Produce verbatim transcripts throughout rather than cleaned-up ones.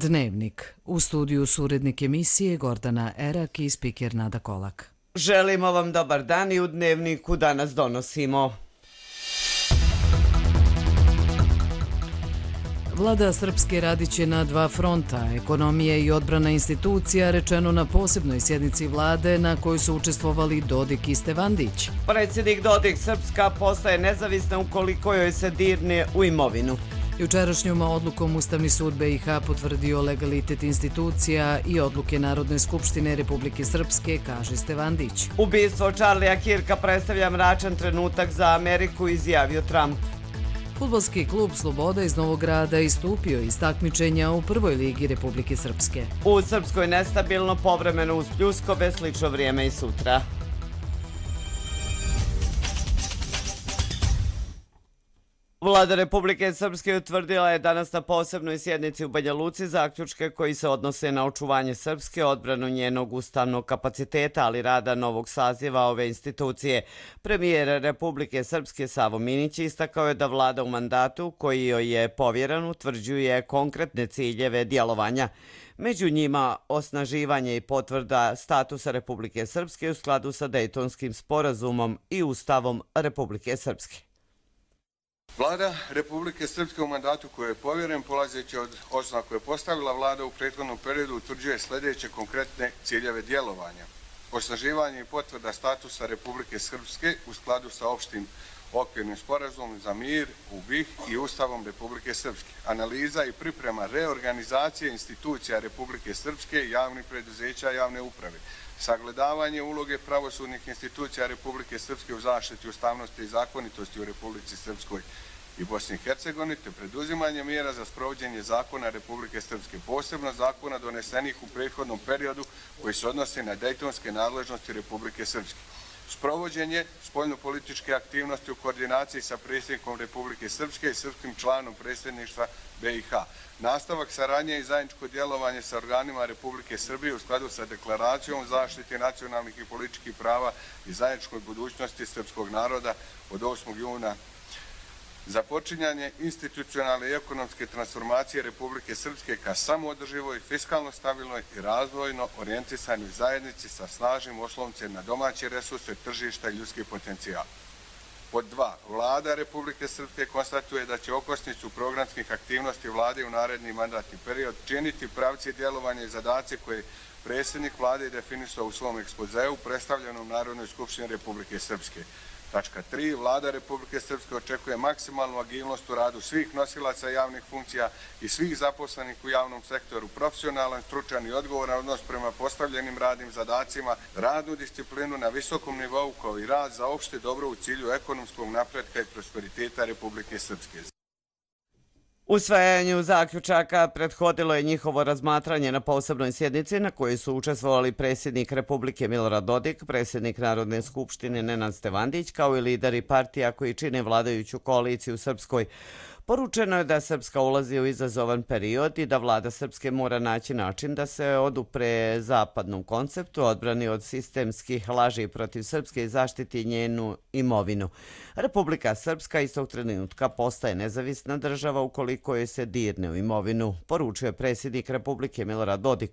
Dnevnik. U studiju su urednik emisije Gordana Erak i spiker Nada Kolak. Želimo vam dobar dan i u Dnevniku danas donosimo. Vlada Srpske radiće na dva fronta, ekonomije i odbrana institucija, rečeno na posebnoj sjednici vlade na kojoj su učestvovali Dodik i Stevandić. Predsjednik Dodik, Srpska postaje nezavisna ukoliko joj se dirne u imovinu. Jučerašnjom odlukom Ustavni sud B i H potvrdio legalitet institucija i odluke Narodne skupštine Republike Srpske, kaže Stevandić. Ubistvo Charlija Kirka predstavlja mračan trenutak za Ameriku, izjavio Trump. Fudbalski klub Sloboda iz Novog Grada istupio iz takmičenja u prvoj ligi Republike Srpske. U Srpskoj nestabilno, povremeno uz pljuskove, slično vrijeme i sutra. Vlada Republike Srpske utvrdila je danas na posebnoj sjednici u Banja Luci zaključke koji se odnose na očuvanje Srpske, odbranu njenog ustavnog kapaciteta, ali rada novog saziva ove institucije. Premijer Republike Srpske Savo Minić istakao je da vlada u mandatu koji joj je povjeren utvrđuje konkretne ciljeve djelovanja. Među njima osnaživanje i potvrda statusa Republike Srpske u skladu sa Dejtonskim sporazumom i Ustavom Republike Srpske. Vlada Republike Srpske u mandatu koji je povjeren, polazeći od osnova koje je postavila vlada u prethodnom periodu, utvrđuje sljedeće konkretne ciljeve djelovanja. Osnaživanje i potvrda statusa Republike Srpske u skladu sa opštim okvirnim sporazumom za mir u B i H i Ustavom Republike Srpske. Analiza i priprema reorganizacije institucija Republike Srpske, javnih preduzeća i javne uprave. Sagledavanje uloge pravosudnih institucija Republike Srpske u zaštiti ustavnosti i zakonitosti u Republici Srpskoj i Bosni i Hercegovini, te preduzimanje mjera za sprovođenje zakona Republike Srpske, posebno zakona donesenih u prethodnom periodu koji se odnose na dejtonske nadležnosti Republike Srpske. Sprovođenje spoljnopolitičke aktivnosti u koordinaciji sa predsjednikom Republike Srpske i srpskim članom predsjedništva B i H. Nastavak saradnje i zajedničko djelovanje sa organima Republike Srbije u skladu sa deklaracijom o zaštiti nacionalnih i političkih prava i zajedničkoj budućnosti srpskog naroda od osmog juna. Započinjanje institucionalne i ekonomske transformacije Republike Srpske ka samoodrživoj, fiskalno stabilnoj i razvojno orijentisanoj zajednici sa snažnim osloncem na domaće resurse, tržišta i ljudski potencijal. Pod dva. Vlada Republike Srpske konstatuje da će okosnicu programskih aktivnosti vlade u naredni mandatni period činiti pravci djelovanja i zadaci koje predsjednik vlade definisao u svom ekspozeu predstavljenom Narodnoj skupštini Republike Srpske. Tačka tri. Vlada Republike Srpske očekuje maksimalnu agilnost u radu svih nosilaca javnih funkcija i svih zaposlenih u javnom sektoru, profesionalan, stručan i odgovoran odnos prema postavljenim radnim zadacima, radnu disciplinu na visokom nivou kao i rad za opšte dobro u cilju ekonomskog napretka i prosperiteta Republike Srpske. Usvajanju zaključaka prethodilo je njihovo razmatranje na posebnoj sjednici na kojoj su učestvovali predsjednik Republike Milorad Dodik, predsjednik Narodne skupštine Nenad Stevandić, kao i lideri partija koji čine vladajuću koaliciju u Srpskoj. Poručeno je da Srpska ulazi u izazovan period i da vlada Srpske mora naći način da se odupre zapadnom konceptu, odbrani od sistemskih laži protiv Srpske i zaštiti njenu imovinu. Republika Srpska istog trenutka postaje nezavisna država ukoliko joj se dirne u imovinu, poručio je predsjednik Republike Milorad Dodik.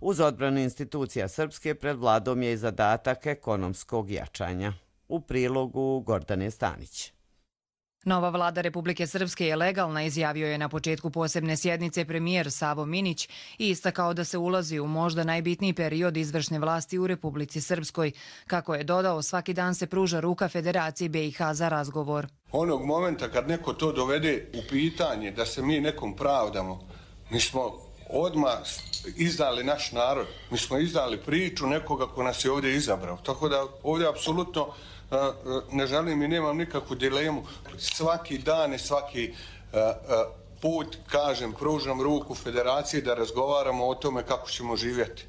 Uz odbranu institucija Srpske pred vladom je i zadatak ekonomskog jačanja. U prilogu Gordane Stanić. Nova vlada Republike Srpske je legalna, izjavio je na početku posebne sjednice premijer Savo Minić i istakao da se ulazi u možda najbitniji period izvršne vlasti u Republici Srpskoj. Kako je dodao, svaki dan se pruža ruka Federaciji B i H za razgovor. Onog momenta kad neko to dovede u pitanje da se mi nekom pravdamo, mi smo odmah izdali naš narod, mi smo izdali priču nekoga ko nas je ovdje izabrao. Tako da ovdje apsolutno ne želim i nemam nikakvu dilemu. Svaki dan i svaki put, kažem, pružam ruku Federaciji da razgovaramo o tome kako ćemo živjeti.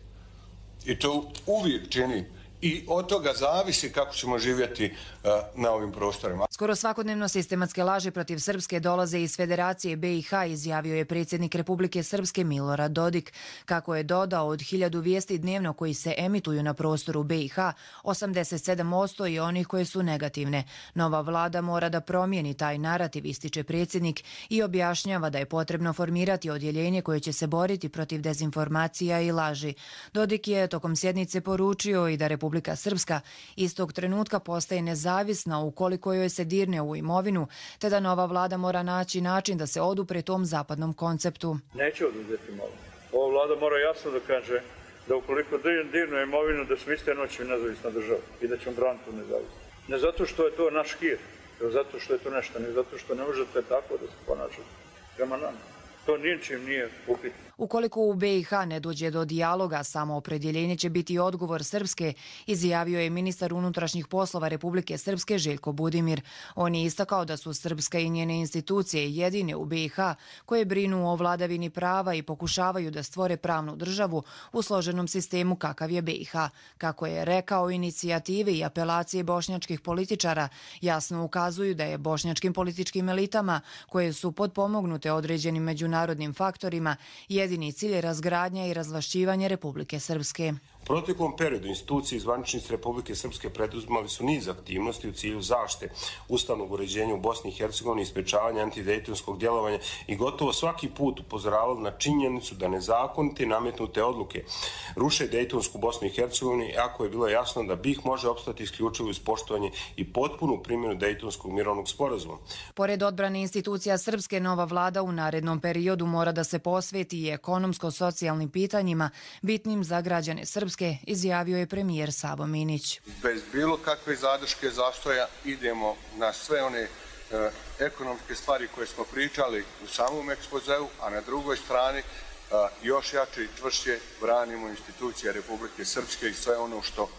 I to uvijek činim. i od toga zavisi kako ćemo živjeti na ovim prostorima. Skoro svakodnevno sistematske laži protiv Srpske dolaze iz Federacije B i H, izjavio je predsjednik Republike Srpske Milorad Dodik. Kako je dodao, od hiljadu vijesti dnevno koji se emituju na prostoru B i H, osamdeset sedam posto je onih koje su negativne. Nova vlada mora da promijeni taj narativ, ističe predsjednik i objašnjava da je potrebno formirati odjeljenje koje će se boriti protiv dezinformacija i laži. Dodik je tokom sjednice poručio i da Republika Srpska istog trenutka postaje nezavisna ukoliko joj se dirne u imovinu, te da nova vlada mora naći način da se odupre tom zapadnom konceptu. Neće oduzeti imovinu. Ova vlada mora jasno da kaže da ukoliko dirne imovinu da su iste noći nezavisna država i da ćemo braniti tu nezavisnost. Ne zato što je to naš hir, ne zato što je to nešto, ne zato što ne možete tako da se ponašate prema nama. To ničim nije upitno. Ukoliko u B i H ne dođe do dijaloga, samo opredjeljenje će biti odgovor Srpske, izjavio je ministar unutrašnjih poslova Republike Srpske Željko Budimir. On je istakao da su Srpska i njene institucije jedine u B i H koje brinu o vladavini prava i pokušavaju da stvore pravnu državu u složenom sistemu kakav je B i H. Kako je rekao, inicijative i apelacije bošnjačkih političara jasno ukazuju da je bošnjačkim političkim elitama, koje su potpomognute određenim međunarodnim faktorima, jedini cilj je razgradnja i razvlašćivanje Republike Srpske. U proteklom periodu institucije i zvaničnici Republike Srpske preduzimali su niz aktivnosti u cilju zaštite ustavnog uređenja u Bosni i Hercegovini i sprečavanja antidejtonskog djelovanja i gotovo svaki put upozoravali na činjenicu da nezakonite i nametnute odluke ruše dejtonsku Bosnu i Hercegovini, ako je bilo jasno da B i H može opstati isključivo uz poštovanje i potpunu primjenu dejtonskog mirovnog sporazuma. Pored odbrane institucija Srpske, nova vlada u narednom periodu mora da se posveti i ekonomsko-socijalnim pitanjima bitnim za građane Srpske, izjavio je premijer Savo Minić. Bez bilo kakve zadrške zastoja idemo na sve one e, ekonomske stvari koje smo pričali u samom ekspozeu, a na drugoj strani e, još jače i čvršće branimo institucije Republike Srpske i sve ono što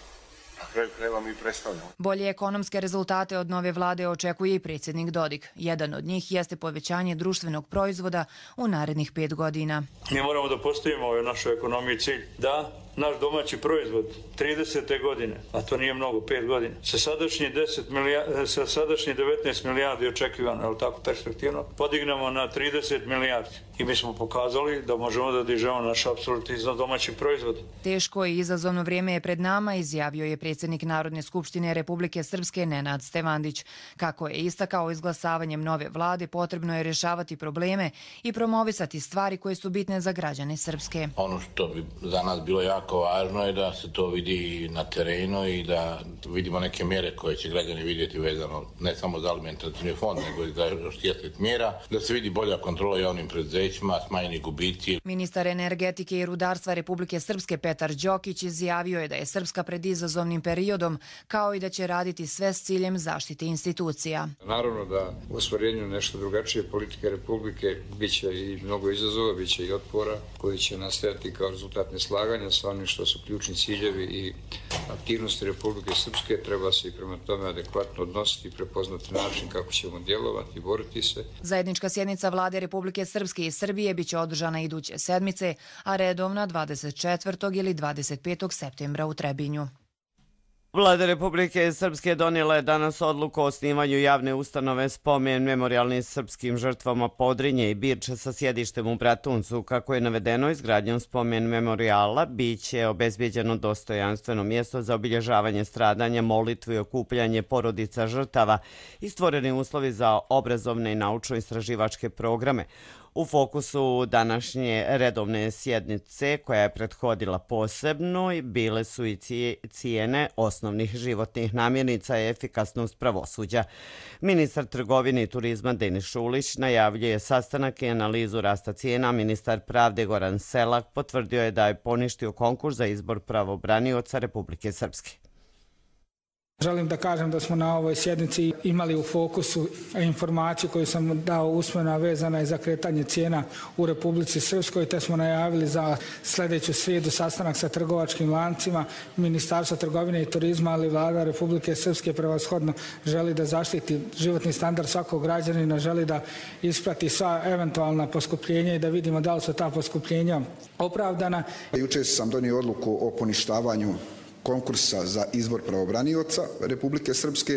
na kraju krajeva mi predstavljamo. Bolje ekonomske rezultate od nove vlade očekuje i predsjednik Dodik. Jedan od njih jeste povećanje društvenog proizvoda u narednih pet godina. Mi moramo da postavimo u našoj ekonomiji cilj da naš domaći proizvod tridesete godine, a to nije mnogo, pet godina, sa sadašnje, deset milijardi, sa sadašnje devetnaest milijardi očekivano, je li tako perspektivno, podignemo na trideset milijardi. I mi smo pokazali da možemo da dižemo naš apsolutni iznos domaćih proizvoda. Teško i izazovno vrijeme je pred nama, izjavio je predsjednik Narodne skupštine Republike Srpske Nenad Stevandić. Kako je istakao, izglasavanjem nove vlade potrebno je rješavati probleme i promovisati stvari koje su bitne za građane Srpske. Ono što bi za nas bilo jako važno je da se to vidi na terenu i da vidimo neke mjere koje će građani vidjeti vezano ne samo za alimentacioni fond, nego i za još deset mjera, da se vidi bolja kontrola javnim preduzećima, smanjeni gubici. Ministar energetike i rudarstva Republike Srpske Petar Đokić izjavio je da je Srpska pred izazovnim periodom, kao i da će raditi sve s ciljem zaštite institucija. Naravno da u ostvarenju nešto drugačije politike Republike biće i mnogo izazova, biće i otpora koji će nastajati kao rezultat neslaganja sa onim što su ključni ciljevi i aktivnosti Republike Srpske. Treba se i prema tome adekvatno odnositi i prepoznati način kako ćemo djelovati i boriti se. Zajednička sjednica vlade Republike Srpske i Srbije biće održana iduće sedmice, a redovna dvadeset četvrtog ili dvadeset petog septembra u Trebinju. Vlada Republike Srpske donijela je danas odluku o osnivanju javne ustanove Spomen memorijalnim srpskim žrtvama Podrinje i Birče sa sjedištem u Bratuncu. Kako je navedeno, izgradnjom Spomen memorijala biće obezbijeđeno dostojanstveno mjesto za obilježavanje stradanja, molitvu i okupljanje porodica žrtava i stvoreni uslovi za obrazovne i naučno-istraživačke programe. U fokusu današnje redovne sjednice, koja je prethodila posebno, bile su i cijene osnovnih životnih namirnica i efikasnost pravosuđa. Ministar trgovine i turizma Denis Šulić najavljuje sastanak i analizu rasta cijena. Ministar pravde Goran Selak potvrdio je da je poništio konkurs za izbor pravobranioca Republike Srpske. Želim da kažem da smo na ovoj sjednici imali u fokusu informaciju koju sam dao usmeno, vezana je za kretanje cijena u Republici Srpskoj, te smo najavili za sljedeću srijedu sastanak sa trgovačkim lancima. Ministarstvo trgovine i turizma, ali vlada Republike Srpske prevashodno želi da zaštiti životni standard svakog građanina, želi da isprati sva eventualna poskupljenja i da vidimo da li su ta poskupljenja opravdana. Jučer sam donio odluku o poništavanju konkursa za izbor pravobranioca Republike Srpske.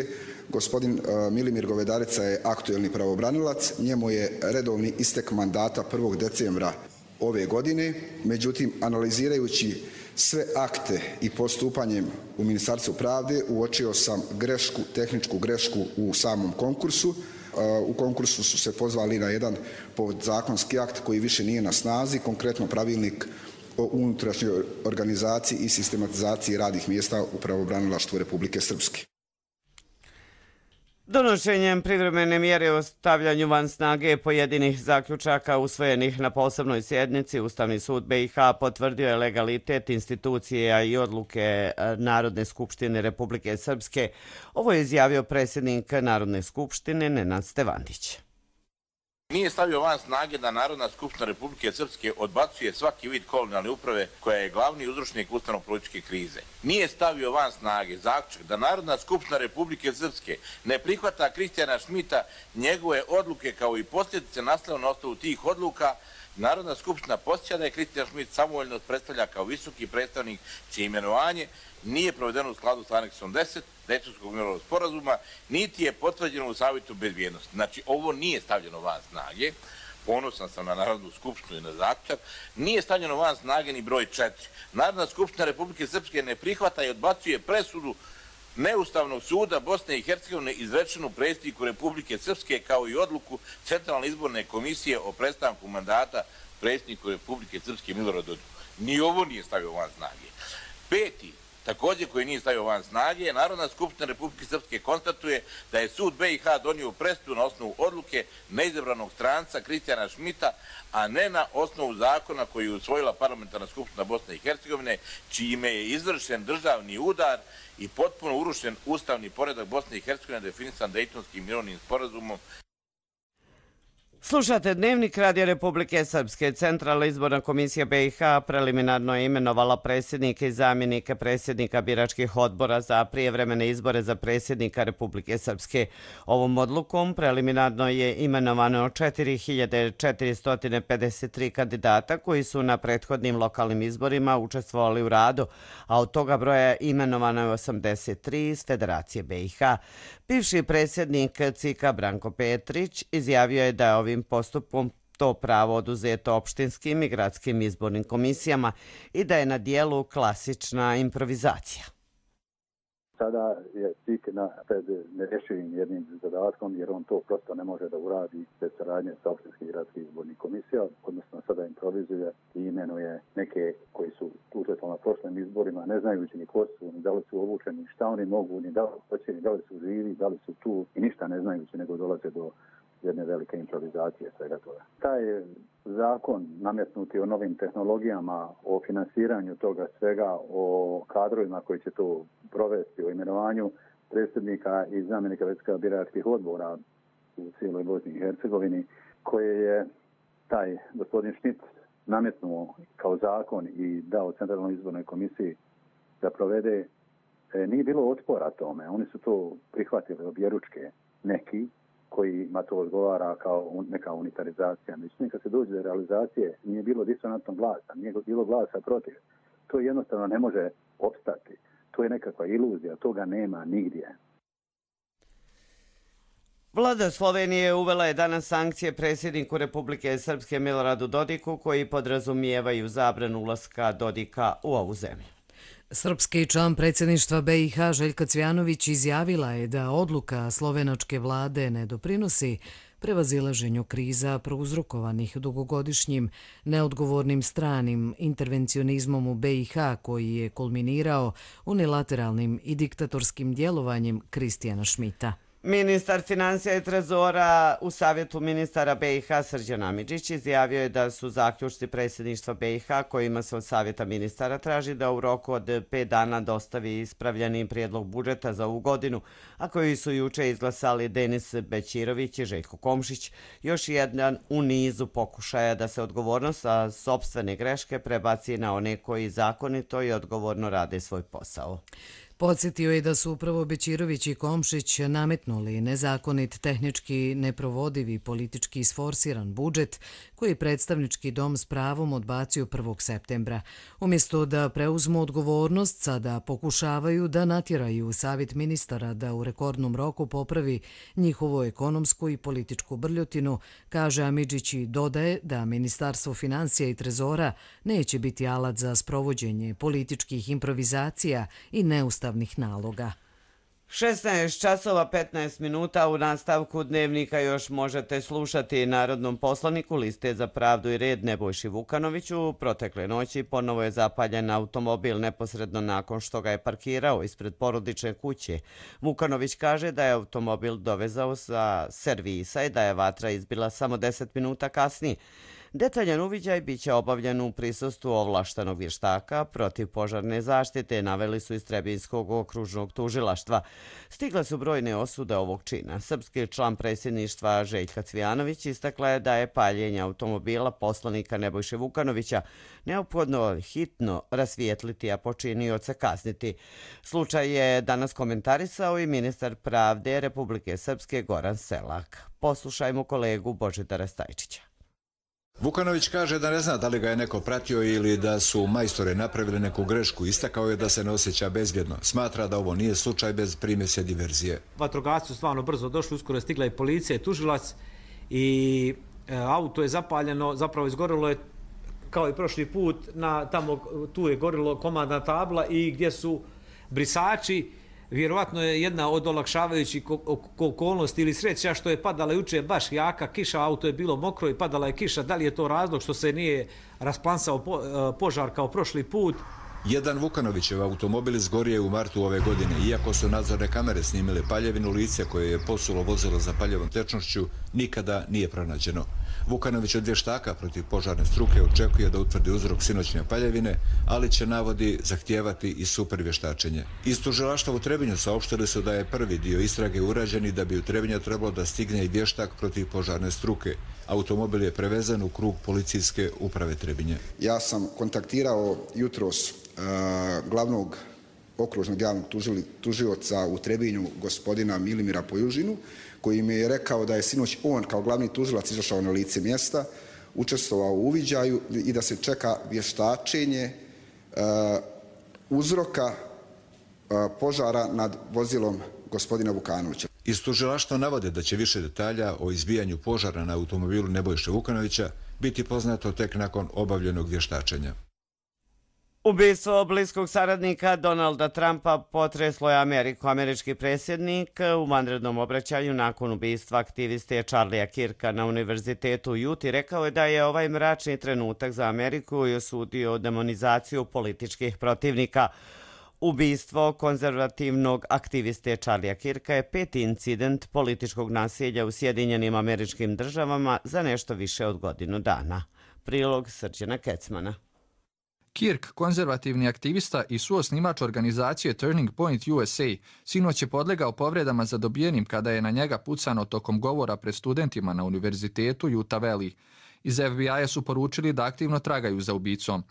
Gospodin Milimir Govedarica je aktuelni pravobranilac. Njemu je redovni istek mandata prvog decembra ove godine. Međutim, analizirajući sve akte i postupanjem u Ministarstvu pravde uočio sam grešku, tehničku grešku u samom konkursu. U konkursu su se pozvali na jedan podzakonski akt koji više nije na snazi, konkretno pravilnik o unutrašnjoj organizaciji i sistematizaciji radnih mjesta u pravobranilaštvu Republike Srpske. Donošenjem privremene mjere o stavljanju van snage pojedinih zaključaka usvojenih na posebnoj sjednici, Ustavni sud B i H potvrdio je legalitet institucija i odluke Narodne skupštine Republike Srpske. Ovo je izjavio predsjednik Narodne skupštine Nenad Stevandić. Nije stavio van snage da Narodna skupština Republike Srpske odbacuje svaki vid kolonijalne uprave koja je glavni uzročnik ustavno-političke krize. Nije stavio van snage zaključak da Narodna skupština Republike Srpske ne prihvata Kristijana Šmita, njegove odluke kao i posljedice nastale na osnovu tih odluka. Narodna skupština posjeća da je Kristijan Šmit samovoljno predstavlja kao visoki predstavnik čije imenovanje nije provedeno u skladu s aneksom deset Dejtonskog mirovnog sporazuma, niti je potvrđeno u Savjetu bezbjednosti. Znači, ovo nije stavljeno van snage. Ponosan sam na Narodnu skupštinu i na zaključak. Nije stavljeno van snage ni broj četiri. Narodna skupština Republike Srpske ne prihvata i odbacuje presudu Neustavnog suda Bosne i Hercegovine izrečenu predsjedniku Republike Srpske kao i odluku Centralne izborne komisije o prestanku mandata predsjedniku Republike Srpske Miloradu Dodiku. Ni ovo nije stavio van snage. Peti, također koji nije stavio van snage, Narodna skupština Republike Srpske konstatuje da je sud B i H donio presudu na osnovu odluke neizabranog stranca Kristijana Šmita, a ne na osnovu zakona koji je usvojila Parlamentarna skupština Bosne i Hercegovine, čime je izvršen državni udar i potpuno urušen ustavni poredak Bosne i Hercegovine definisan Dejtonskim mirovnim sporazumom. Slušate Dnevnik Radio Republike Srpske. Centralna izborna komisija B i H preliminarno je imenovala predsjednike i zamjenike predsjednika biračkih odbora za prijevremene izbore za predsjednika Republike Srpske. Ovom odlukom preliminarno je imenovano četiri hiljade četiristo pedeset tri kandidata koji su na prethodnim lokalnim izborima učestvovali u radu, a od toga broja imenovano je osamdeset tri iz Federacije B i H. Bivši predsjednik C I K-a Branko Petrić izjavio je da je ovim postupkom to pravo oduzeto opštinskim i gradskim izbornim komisijama i da je na dijelu klasična improvizacija. Sada je C I K pred nerješivim jednim zadatkom jer on to prosto ne može da uradi bez saradnje sa opštinskim i gradskim izbornim komisijama, odnosno sada improvizuje i imenuje neke koji su učestvovali na prošlim izborima, ne znajući ni ko su, ni da li su obučeni, šta oni mogu, ni da li hoće, ni da li su živi, da li su tu i ništa ne znajući, nego dolaze do jedne velike improvizacije svega toga. Taj zakon nametnuti o novim tehnologijama, o finansiranju toga svega, o kadrovima koji će to provesti, o imenovanju predsjednika i zamjenika predsjednika biračkih odbora u cijeloj Bosni i Hercegovini, koje je taj gospodin Šmit nametnuo kao zakon i dao Centralnoj izbornoj komisiji da provede, nije bilo otpora tome. Oni su to prihvatili objeručke neki, kojima to odgovara kao neka unitarizacija. Međutim, kad se dođe do realizacije, nije bilo disonantnog glasa, nije bilo glasa protiv. To jednostavno ne može opstati. To je nekakva iluzija, toga nema nigdje. Vlada Slovenije uvela je danas sankcije predsjedniku Republike Srpske Miloradu Dodiku koji podrazumijevaju zabranu ulaska Dodika u ovu zemlju. Srpski član predsjedništva B i H Željka Cvjanović izjavila je da odluka slovenačke vlade ne doprinosi prevazilaženju kriza prouzrokovanih dugogodišnjim neodgovornim stranim intervencionizmom u B i H koji je kulminirao unilateralnim i diktatorskim djelovanjem Kristijana Šmita. Ministar financija i trezora u Savjetu ministara B i H Srđan Amidžić izjavio je da su zaključci predsjedništva B i H kojima se od Savjeta ministara traži da u roku od pet dana dostavi ispravljeni prijedlog budžeta za ovu godinu, a koji su juče izglasali Denis Bećirović i Željko Komšić, još jedan u nizu pokušaja da se odgovornost za sopstvene greške prebaci na one koji zakonito i odgovorno rade svoj posao. Podsjetio je da su upravo Bećirović i Komšić nametnuli nezakonit, tehnički neprovodivi, politički isforsiran budžet koji predstavnički dom s pravom odbacio prvog septembra. Umjesto da preuzmu odgovornost, sada pokušavaju da natjeraju Savjet ministara da u rekordnom roku popravi njihovu ekonomsku i političku brljotinu, kaže Amidžić i dodaje da Ministarstvo financija i trezora neće biti alat za sprovođenje političkih improvizacija i neustavnih naloga. šesnaest časova petnaest minuta u nastavku dnevnika još možete slušati narodnom poslaniku Liste za pravdu i red Nebojši Vukanoviću. Protekle noći ponovo je zapaljen automobil neposredno nakon što ga je parkirao ispred porodične kuće. Vukanović kaže da je automobil dovezao sa servisa i da je vatra izbila samo deset minuta kasnije. Detaljan uviđaj biće obavljen u prisustvu ovlaštenog vještaka protiv požarne zaštite, naveli su iz Trebinjskog okružnog tužilaštva. Stigle su brojne osude ovog čina. Srpski član predsjedništva Željka Cvijanović istakla je da je paljenje automobila poslanika Nebojše Vukanovića neophodno hitno rasvijetliti, a počinioce kazniti. Slučaj je danas komentarisao i ministar pravde Republike Srpske Goran Selak. Poslušajmo kolegu Božidara Stajčića. Vukanović kaže da ne zna da li ga je neko pratio ili da su majstore napravili neku grešku. Istakao je da se ne osjeća bezbjedno. Smatra da ovo nije slučaj bez primjese diverzije. Vatrogasci su stvarno brzo došli, uskoro je stigla i policija i tužilac i e, auto je zapaljeno, zapravo izgorilo je kao i prošli put, na, tamo tu je gorilo komandna tabla i gdje su brisači. Vjerovatno je jedna od olakšavajućih okolnosti ili sreća što je padala juče baš jaka kiša, auto je bilo mokro i padala je kiša. Da li je to razlog što se nije rasplansao požar kao prošli put? Jedan Vukanovićev automobil izgorio je u martu ove godine. Iako su nadzorne kamere snimile paljevinu, lice koje je posulo vozilo za paljevom tečnošću nikada nije pronađeno. Vukanović od vještaka protiv požarne struke očekuje da utvrdi uzrok sinoćne paljevine, ali će, navodi, zahtijevati i super vještačenje. Iz tužilaštva u Trebinju saopštili su da je prvi dio istrage urađen i da bi u Trebinju trebalo da stigne i vještak protiv požarne struke. Automobil je prevezen u krug policijske uprave Trebinje. Ja sam kontaktirao jutros uh, glavnog okružnog javnog tužioca u Trebinju, gospodina Milimira Pojužinu, koji mi je rekao da je sinoć on kao glavni tužilac izašao na lice mjesta, učestvovao u uviđaju i da se čeka vještačenje uh, uzroka uh, požara nad vozilom gospodina Vukanovića. Iz tužilaštva navode da će više detalja o izbijanju požara na automobilu Nebojše Vukanovića biti poznato tek nakon obavljenog vještačenja. Ubistvo bliskog saradnika Donalda Trumpa potreslo je Ameriku. Američki predsjednik u vanrednom obraćanju nakon ubistva aktiviste Charlie'a Kirka na univerzitetu u Juti rekao je da je ovaj mračni trenutak za Ameriku i osudio demonizaciju političkih protivnika. Ubistvo konzervativnog aktiviste Charlie'a Kirka je peti incident političkog nasilja u Sjedinjenim Američkim Državama za nešto više od godinu dana. Prilog Srđana Kecmana. Kirk, konzervativni aktivista i suosnimač organizacije Turning Point U S A, sinoć je podlegao povredama zadobijenim kada je na njega pucano tokom govora pred studentima na univerzitetu Utah Valley. Iz F B I-a su poručili da aktivno tragaju za ubicom.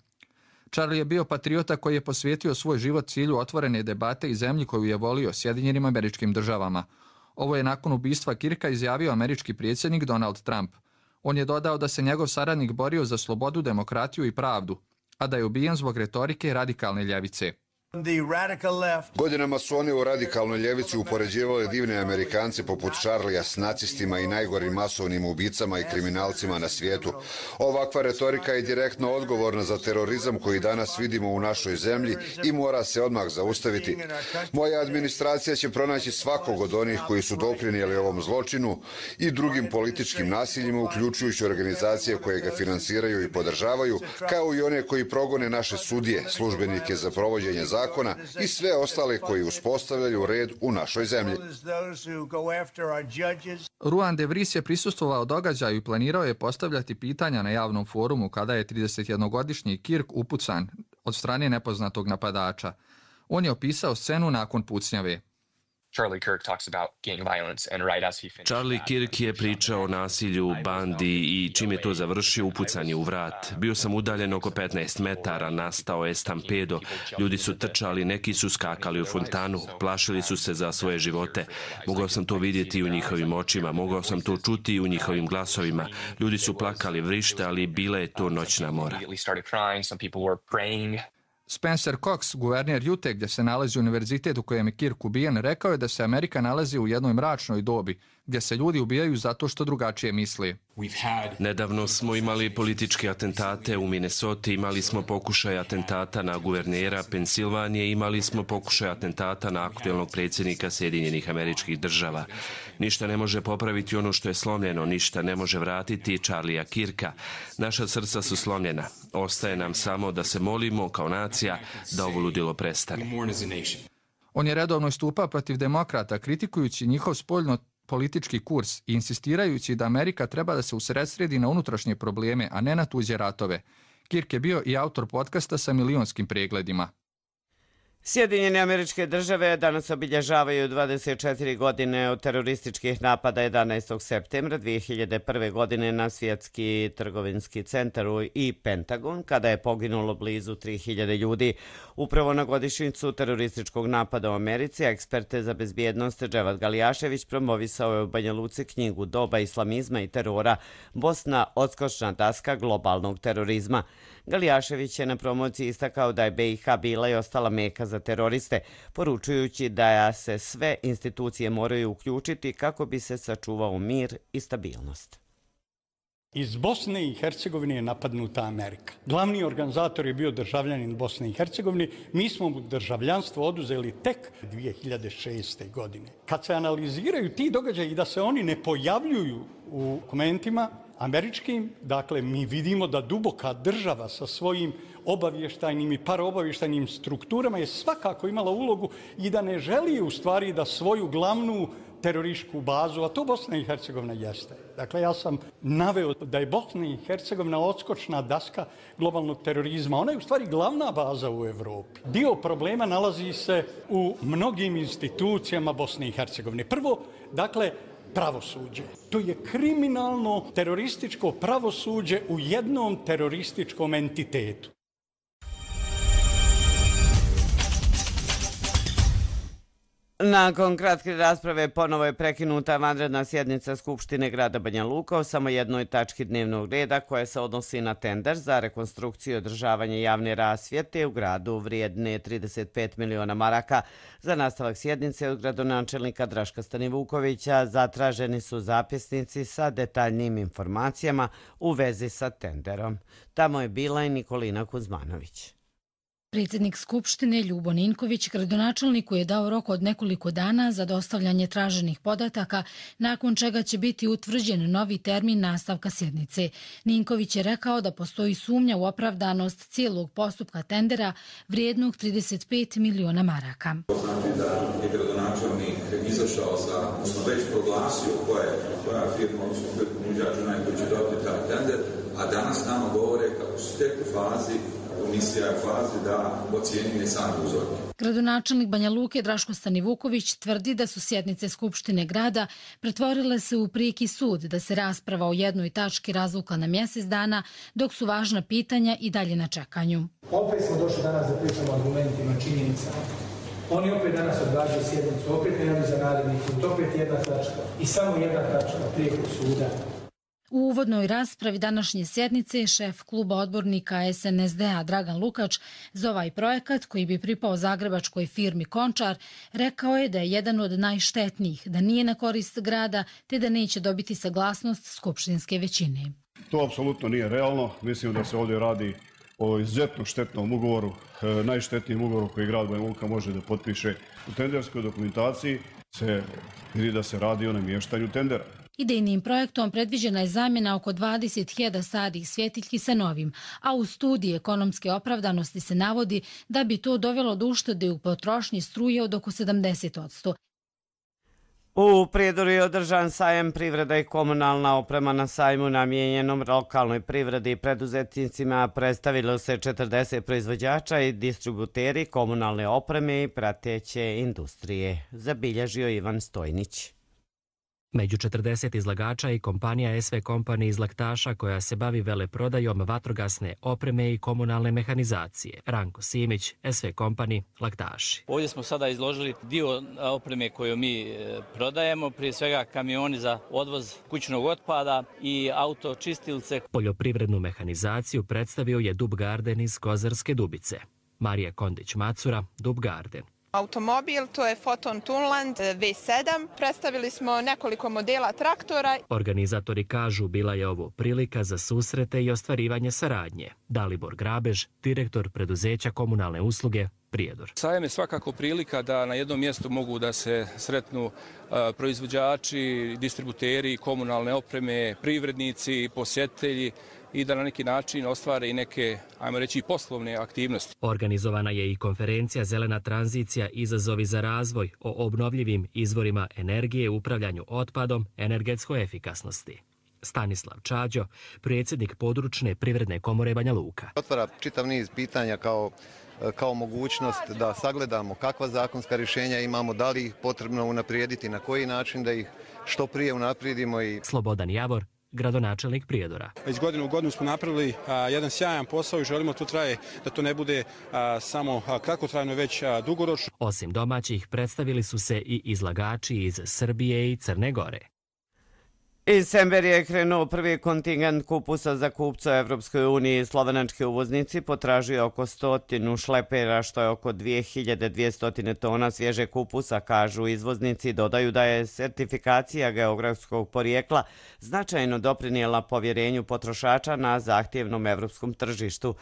Charlie je bio patriota koji je posvijetio svoj život cilju otvorene debate i zemlji koju je volio, Sjedinjenim Američkim Državama. Ovo je nakon ubistva Kirka izjavio američki predsjednik Donald Trump. On je dodao da se njegov saradnik borio za slobodu, demokratiju i pravdu, a da je ubijen zbog retorike radikalne ljevice. Godinama su oni u radikalnoj ljevici upoređivali divne Amerikance poput Charlie'a s nacistima i najgorim masovnim ubicama i kriminalcima na svijetu. Ovakva retorika je direktno odgovorna za terorizam koji danas vidimo u našoj zemlji i mora se odmah zaustaviti. Moja administracija će pronaći svakog od onih koji su doprinijeli ovom zločinu i drugim političkim nasiljima, uključujući organizacije koje ga finansiraju i podržavaju, kao i one koji progone naše sudije, službenike za provođenje zakona, zakona i sve ostale koji uspostavljaju red u našoj zemlji. Ruan de Vries je prisustvovao događaju i planirao je postavljati pitanja na javnom forumu kada je tridesetjednogodišnji Kirk upucan od strane nepoznatog napadača. On je opisao scenu nakon pucnjave. Charlie Kirk je pričao o nasilju, bandi i čim je to završio, upucan je u vrat. Bio sam udaljen oko petnaest metara, nastao je stampedo. Ljudi su trčali, neki su skakali u fontanu, plašili su se za svoje živote. Mogao sam to vidjeti u njihovim očima, mogao sam to čuti u njihovim glasovima. Ljudi su plakali, vrištali, bila je to noćna mora. Spencer Cox, guverner Ute gdje se nalazi univerzitet u kojem je Kirk ubijen, rekao je da se Amerika nalazi u jednoj mračnoj dobi, gdje se ljudi ubijaju zato što drugačije misli. Nedavno smo imali političke atentate u Minnesoti, imali smo pokušaj atentata na guvernera Pensilvanije, imali smo pokušaj atentata na aktuelnog predsjednika Sjedinjenih Američkih Država. Ništa ne može popraviti ono što je slomljeno, ništa ne može vratiti Charlija Kirka. Naša srca su slomljena. Ostaje nam samo da se molimo kao nacija da ovo ludilo prestane. On je redovno istupao protiv demokrata, kritikujući njihov spoljno politički kurs i insistirajući da Amerika treba da se usredsredi na unutrašnje probleme, a ne na tuđe ratove. Kirk je bio i autor podcasta sa milionskim pregledima. Sjedinjene Američke Države danas obilježavaju dvadeset četiri godine od terorističkih napada jedanaestog septembra dvije hiljade prve. godine na Svjetski trgovinski centar i Pentagon, kada je poginulo blizu tri hiljade ljudi. Upravo na godišnjicu terorističkog napada u Americi, eksperte za bezbjednost Dževad Galijašević promovisao je u Banja Luci knjigu Doba islamizma i terora, Bosna odskočna daska globalnog terorizma. Galijašević je na promociji istakao da je B i H bila i ostala meka za teroriste, poručujući da se sve institucije moraju uključiti kako bi se sačuvao mir i stabilnost. Iz Bosne i Hercegovine je napadnuta Amerika. Glavni organizator je bio državljanin Bosne i Hercegovine. Mi smo mu državljanstvo oduzeli tek dvije hiljade šeste. godine. Kad se analiziraju ti događaji i da se oni ne pojavljuju u dokumentima američkim, dakle, mi vidimo da duboka država sa svojim obavještajnim i paraobavještajnim strukturama je svakako imala ulogu i da ne želi u stvari da svoju glavnu terorističku bazu, a to Bosna i Hercegovina jeste. Dakle, ja sam naveo da je Bosna i Hercegovina odskočna daska globalnog terorizma. Ona je u stvari glavna baza u Evropi. Dio problema nalazi se u mnogim institucijama Bosne i Hercegovine. Prvo, dakle, pravosuđe. To je kriminalno terorističko pravosuđe u jednom terorističkom entitetu. Nakon kratke rasprave ponovo je prekinuta vanredna sjednica Skupštine grada Banja Luka o samo jednoj tački dnevnog reda koja se odnosi na tender za rekonstrukciju i održavanje javne rasvjete u gradu vrijedne trideset pet miliona maraka. Za nastavak sjednice od gradonačelnika Draška Stanivukovića zatraženi su zapisnici sa detaljnim informacijama u vezi sa tenderom. Tamo je bila i Nikolina Kuzmanović. Predsjednik Skupštine Ljubo Ninković gradonačelniku je dao rok od nekoliko dana za dostavljanje traženih podataka, nakon čega će biti utvrđen novi termin nastavka sjednice. Ninković je rekao da postoji sumnja u opravdanost cijelog postupka tendera vrijednog trideset pet miliona maraka. Znači da je gradonačelnik izašao sa, odnosno već proglasio koja, koja firma, odnosno koji ponuđač onaj koji će dobiti taj tender, a danas nama govore kako su tek u fazi komisija je u fazi da ocjenjuje sam uzor. Gradonačelnik Banja Luke Draško Stanivuković tvrdi da su sjednice Skupštine grada pretvorile se u prijeki sud, da se rasprava o jednoj tački razvukla na mjesec dana, dok su važna pitanja i dalje na čekanju. Opet smo došli danas da pričamo argumentima, činjenicama. Oni opet danas odgađaju sjednicu, opet nemaju za naredni put, opet jedna tačka i samo jedna tačka prijekog suda. U uvodnoj raspravi današnje sjednice šef kluba odbornika S N S D-a Dragan Lukač za ovaj projekat, koji bi pripao zagrebačkoj firmi Končar, rekao je da je jedan od najštetnijih, da nije na korist grada, te da neće dobiti saglasnost skupštinske većine. To apsolutno nije realno. Mislim da se ovdje radi o izuzetno štetnom ugovoru, najštetnijem ugovoru koji grad Banja Luka može da potpiše. U tenderskoj dokumentaciji se vidi da se radi o namještanju tendera. Idejnim projektom predviđena je zamjena oko dvadeset hiljada starih svjetiljki sa novim, a u studiji ekonomske opravdanosti se navodi da bi to dovelo do uštede u potrošnji struje od oko sedamdeset posto. U Prijedoru je održan sajam privreda i komunalna oprema. Na sajmu namijenjenom lokalnoj privredi i preduzetnicima predstavilo se četrdeset proizvođača i distributeri komunalne opreme i prateće industrije, zabilježio Ivan Stojnić. Među četrdeset izlagača i kompanija S V Company iz Laktaša koja se bavi veleprodajom vatrogasne opreme i komunalne mehanizacije. Ranko Simić, S V Company, Laktaši. Ovdje smo sada izložili dio opreme koju mi prodajemo, prije svega kamioni za odvoz kućnog otpada i autočistilce. Poljoprivrednu mehanizaciju predstavio je Dub Garden iz Kozarske Dubice. Marija Kondić-Macura, Dub Garden. Automobil, to je Foton Tunland V sedam. Predstavili smo nekoliko modela traktora. Organizatori kažu bila je ovo prilika za susrete i ostvarivanje saradnje. Dalibor Grabež, direktor preduzeća komunalne usluge Prijedor. Sajam je svakako prilika da na jednom mjestu mogu da se sretnu proizvođači, distributeri komunalne opreme, privrednici, posjetitelji i da na neki način ostvare i neke, ajmo reći, poslovne aktivnosti. Organizovana je i konferencija Zelena tranzicija, izazovi za razvoj o obnovljivim izvorima energije, upravljanju otpadom, energetskoj efikasnosti. Stanislav Čađo, predsjednik područne privredne komore Banja Luka. Otvara čitav niz pitanja kao kao mogućnost da sagledamo kakva zakonska rješenja imamo, da li ih potrebno unaprijediti, na koji način da ih što prije unaprijedimo. I... Slobodan Javor, gradonačelnik Prijedora. Već godinu u godinu smo napravili a, jedan sjajan posao i želimo to traje da to ne bude a, samo a, kratkotrajno, već a, dugoročno. Osim domaćih, predstavili su se i izlagači iz Srbije i Crne Gore. Iz Semberije je krenuo prvi kontingent kupusa za kupca u Evropskoj uniji. Slovenački uvoznici potražuju oko stotinu šlepera, što je oko dvije hiljade dvjesto tona svježe kupusa, kažu izvoznici. Dodaju da je sertifikacija geografskog porijekla značajno doprinijela povjerenju potrošača na zahtjevnom evropskom tržištu.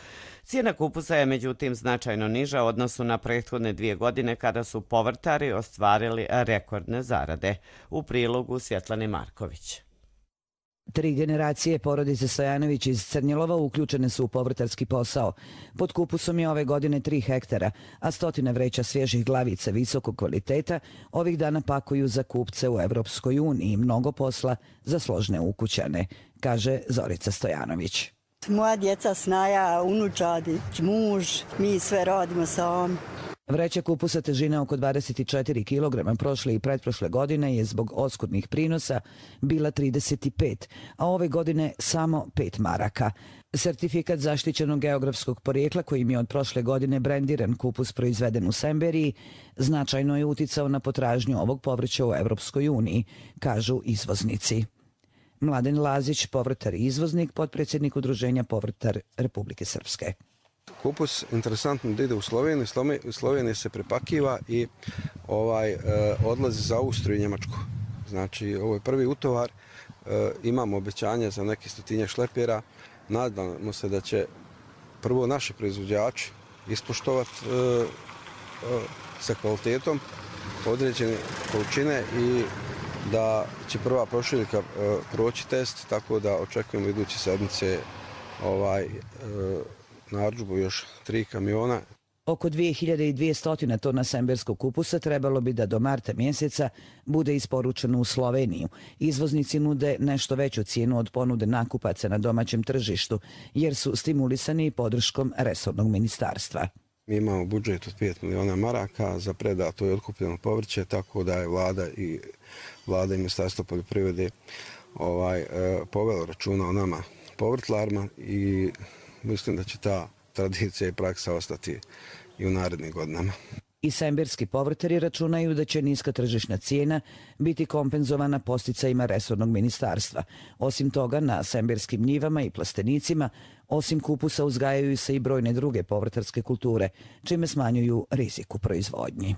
Cijena kupusa je međutim značajno niža u odnosu na prethodne dvije godine kada su povrtari ostvarili rekordne zarade. U prilogu Svjetlane Marković. Tri generacije porodice Stojanović iz Crnjelova uključene su u povrtarski posao. Pod kupusom je ove godine tri hektara, a stotine vreća svježih glavica visokog kvaliteta ovih dana pakuju za kupce u Evropskoj uniji. Mnogo posla za složne ukućane, kaže Zorica Stojanović. Moja djeca, snaja, unučadi, muž, mi sve radimo sami. Vreća kupusa težine oko dvadeset četiri kilograma prošle i pretprošle godine je zbog oskudnih prinosa bila trideset pet, a ove godine samo pet maraka. Sertifikat zaštićenog geografskog porijekla kojim je od prošle godine brendiran kupus proizveden u Semberiji značajno je uticao na potražnju ovog povrća u Evropskoj uniji, kažu izvoznici. Mladen Lazić, povrtar i izvoznik, potpredsjednik Udruženja Povrtar Republike Srpske. Kupus interesantno da ide u Sloveniju, u Sloveniji se prepakiva i ovaj, e, odlazi za Austriju i Njemačku. Znači, ovo je prvi utovar, e, imamo obećanje za neke stotinje šlepera, nadamo se da će prvo naši proizvođači ispoštovati e, e, sa kvalitetom određene količine i da će prva prošiljka e, proći test, tako da očekujemo iduće sedmice ovaj, e, narudžbu još tri kamiona. Oko dvije hiljade dvjesto tona semberskog kupusa trebalo bi da do marta mjeseca bude isporučeno u Sloveniju. Izvoznici nude nešto veću cijenu od ponude nakupaca na domaćem tržištu, jer su stimulisani podrškom resornog ministarstva. Mi imamo budžet od pet miliona maraka za predato i otkupljeno povrće, tako da je vlada i vlada i ministarstvo poljoprivrede ovaj, e, povelo računa o nama povrtlarima i mislim da će ta tradicija i praksa ostati i u narednim godinama. I semberski povrtari računaju da će niska tržišna cijena biti kompenzovana posticajima resornog ministarstva. Osim toga, na semberskim njivama i plastenicima, osim kupusa, uzgajaju se i brojne druge povrtarske kulture, čime smanjuju rizik u proizvodnji.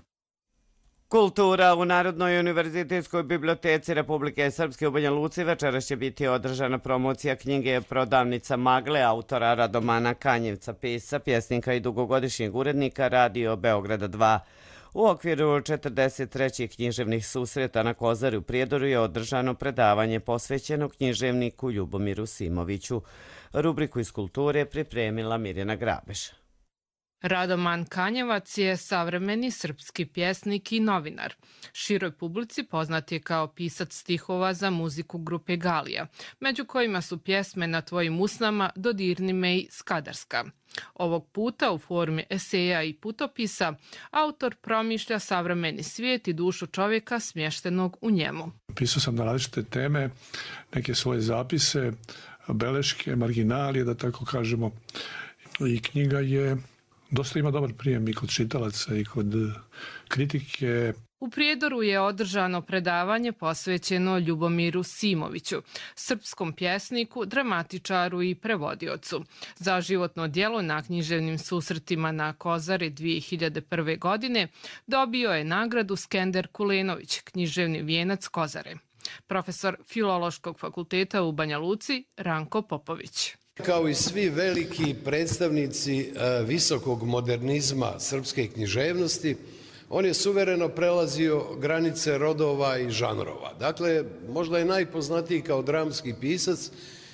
Kultura u Narodnoj univerzitetskoj biblioteci Republike Srpske u Banja Luci večeras će biti održana promocija knjige Prodavnica magle autora Radomana Kanjevca, pisca, pjesnika i dugogodišnjeg urednika Radio Beograda dva. U okviru četrdeset trećih književnih susreta na Kozari u Prijedoru je održano predavanje posvećeno književniku Ljubomiru Simoviću. Rubriku iz kulture pripremila Mirjana Grabež. Radoman Kanjevac je savremeni srpski pjesnik i novinar. Široj publici poznat je kao pisac stihova za muziku grupe Galija, među kojima su pjesme Na tvojim usnama, Dodirni me i Skadarska. Ovog puta u formi eseja i putopisa autor promišlja savremeni svijet i dušu čovjeka smještenog u njemu. Pisao sam na različite teme, neke svoje zapise, beleške, marginalije, da tako kažemo. I knjiga je dosta ima dobar prijem i kod čitalaca i kod kritike. U Prijedoru je održano predavanje posvećeno Ljubomiru Simoviću, srpskom pjesniku, dramatičaru i prevodiocu. Za životno djelo na književnim susretima na Kozari dvije hiljade prve. godine dobio je nagradu Skender Kulenović, književni vijenac Kozare. Profesor Filološkog fakulteta u Banja Luci, Ranko Popović. Kao i svi veliki predstavnici visokog modernizma srpske književnosti, on je suvereno prelazio granice rodova i žanrova. Dakle, možda je najpoznatiji kao dramski pisac,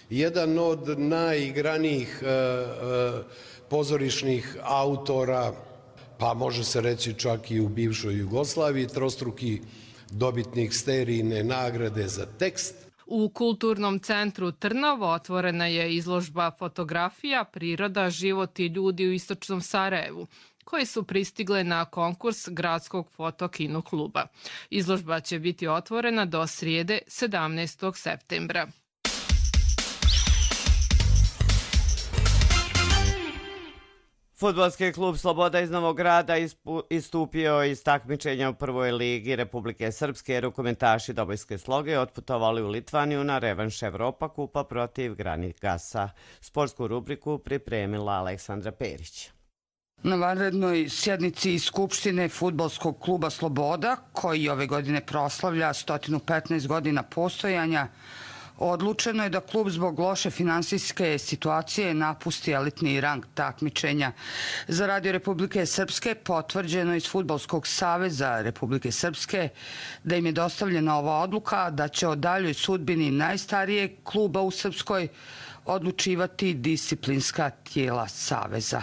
jedan od najigranijih pozorišnih autora, pa može se reći čak i u bivšoj Jugoslaviji, trostruki dobitnik Sterijine nagrade za tekst. U Kulturnom centru Trnovo otvorena je izložba fotografija, priroda, život i ljudi u istočnom Sarajevu, koje su pristigle na konkurs Gradskog fotokino kluba. Izložba će biti otvorena do srijede sedamnaestog septembra. Fudbalski klub Sloboda iz Novog Grada istupio iz takmičenja u prvoj ligi Republike Srpske. Rukometaši Dobojske Sloge otputovali u Litvaniju na revanš Evropa kupa protiv Granigasa. Sportsku rubriku pripremila Aleksandra Perić. Na vanrednoj sjednici Skupštine Fudbalskog kluba Sloboda, koji ove godine proslavlja sto petnaest godina postojanja, odlučeno je da klub zbog loše finansijske situacije napusti elitni rang takmičenja. Za Radio Republike Srpske potvrđeno iz Fudbalskog saveza Republike Srpske da im je dostavljena ova odluka da će o daljoj sudbini najstarijeg kluba u Srpskoj odlučivati disciplinska tijela saveza.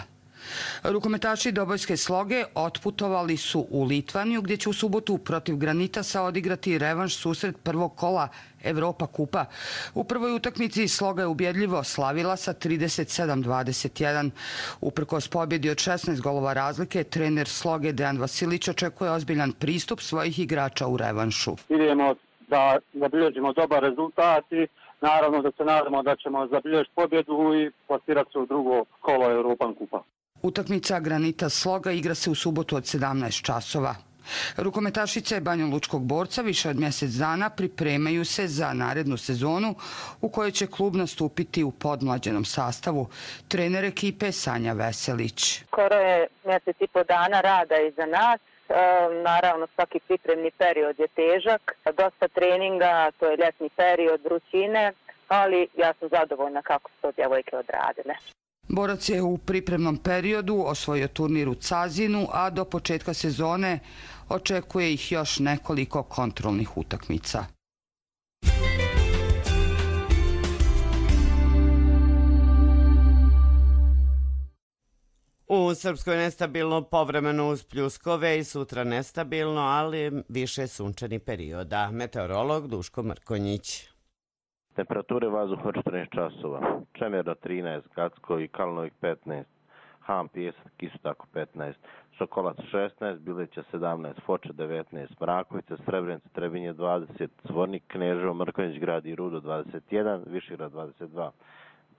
Rukometaši Dobojske Sloge otputovali su u Litvaniju, gdje će u subotu protiv Granitasa odigrati revanš susret prvog kola Evropa kupa. U prvoj utakmici Sloga je ubjedljivo slavila sa trideset sedam dvadeset jedan. Uprkos pobjedi od šesnaest golova razlike, trener Sloge Dejan Vasilić očekuje ozbiljan pristup svojih igrača u revanšu. Idemo da zabilježimo dobar rezultat i naravno da se nadamo da ćemo zabilježiti pobjedu i plasirati se u drugo kolo Evropa kupa. Utakmica Granita Sloga igra se u subotu od sedamnaest časova. Rukometašice Banjalučkog borca više od mjesec dana pripremaju se za narednu sezonu u kojoj će klub nastupiti u podmlađenom sastavu. Trener ekipe Sanja Veselić. Skoro je mjesec i po dana rada iza nas. E, naravno svaki pripremni period je težak. Dosta treninga, to je ljetni period, vrućine, ali ja sam zadovoljna kako su to djevojke odradile. Borac je u pripremnom periodu osvojio turnir u Cazinu, a do početka sezone očekuje ih još nekoliko kontrolnih utakmica. U Srpskoj nestabilno povremeno uz pljuskove i sutra nestabilno, ali više sunčani perioda. Meteorolog Duško Mrkonjić. Temperature vazduha četrnaest časova, Čemerno trinaest, Gacko i Kalnovik petnaest, Ham, Pijesak, isto tako petnaest, Sokolac šesnaest, Bileća sedamnaest, Foča devetnaest, Mrakovica, Srebrenica, Trebinje dvadeset, Zvornik, Kneževo, Mrkonjić grad i Rudo dvadeset jedan, Višegrad dvadeset dva,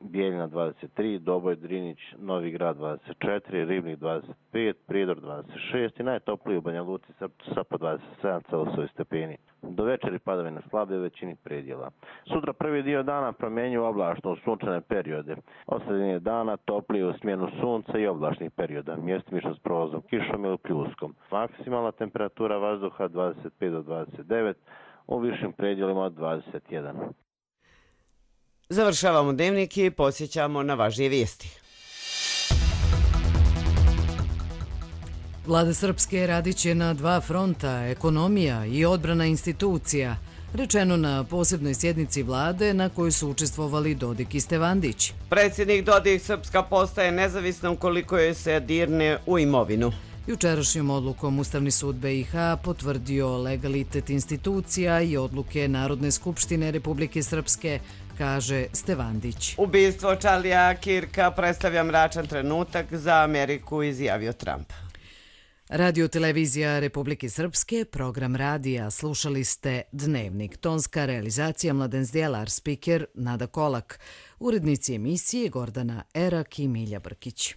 Bijeljina dvadeset tri, Doboj, Drinić, Novi Grad dvadeset četiri, Ribnik dvadeset pet, Prijedor dvadeset šest i najtopliji u Banja Luci Sapa dvadeset sedam Celsijusa stepeni. Do večeri padavine slabe u većini predjela. Sutra prvi dio dana promjenjuju oblačno u sunčane periode. Osrednje dana toplije u smjenu sunca i oblačnih perioda, mjestimično s provozom kišom ili pljuskom. Maksimalna temperatura vazduha dvadeset pet do dvadeset devet, u višim predjelima od dvadeset jedan. Završavamo dnevnik i posjećamo na važnije vijesti. Vlada Srpske radit će na dva fronta, ekonomija i odbrana institucija. rečeno na posebnoj sjednici vlade na kojoj su učestvovali Dodik i Stevandić. Predsjednik Dodik, Srpska postaje nezavisna ukoliko joj se dirne u imovinu. Jučerašnjom odlukom Ustavni sud be i ha potvrdio legalitet institucija i odluke Narodne skupštine Republike Srpske, kaže Stevandić. Ubistvo Charlija Kirka predstavlja mračan trenutak za Ameriku, izjavio Trump. Radio-televizija Republike Srpske, program radija, slušali ste Dnevnik. Tonska realizacija Mladen Zdjelar, spiker Nada Kolak, urednici emisije Gordana Erak i Milja Brkić.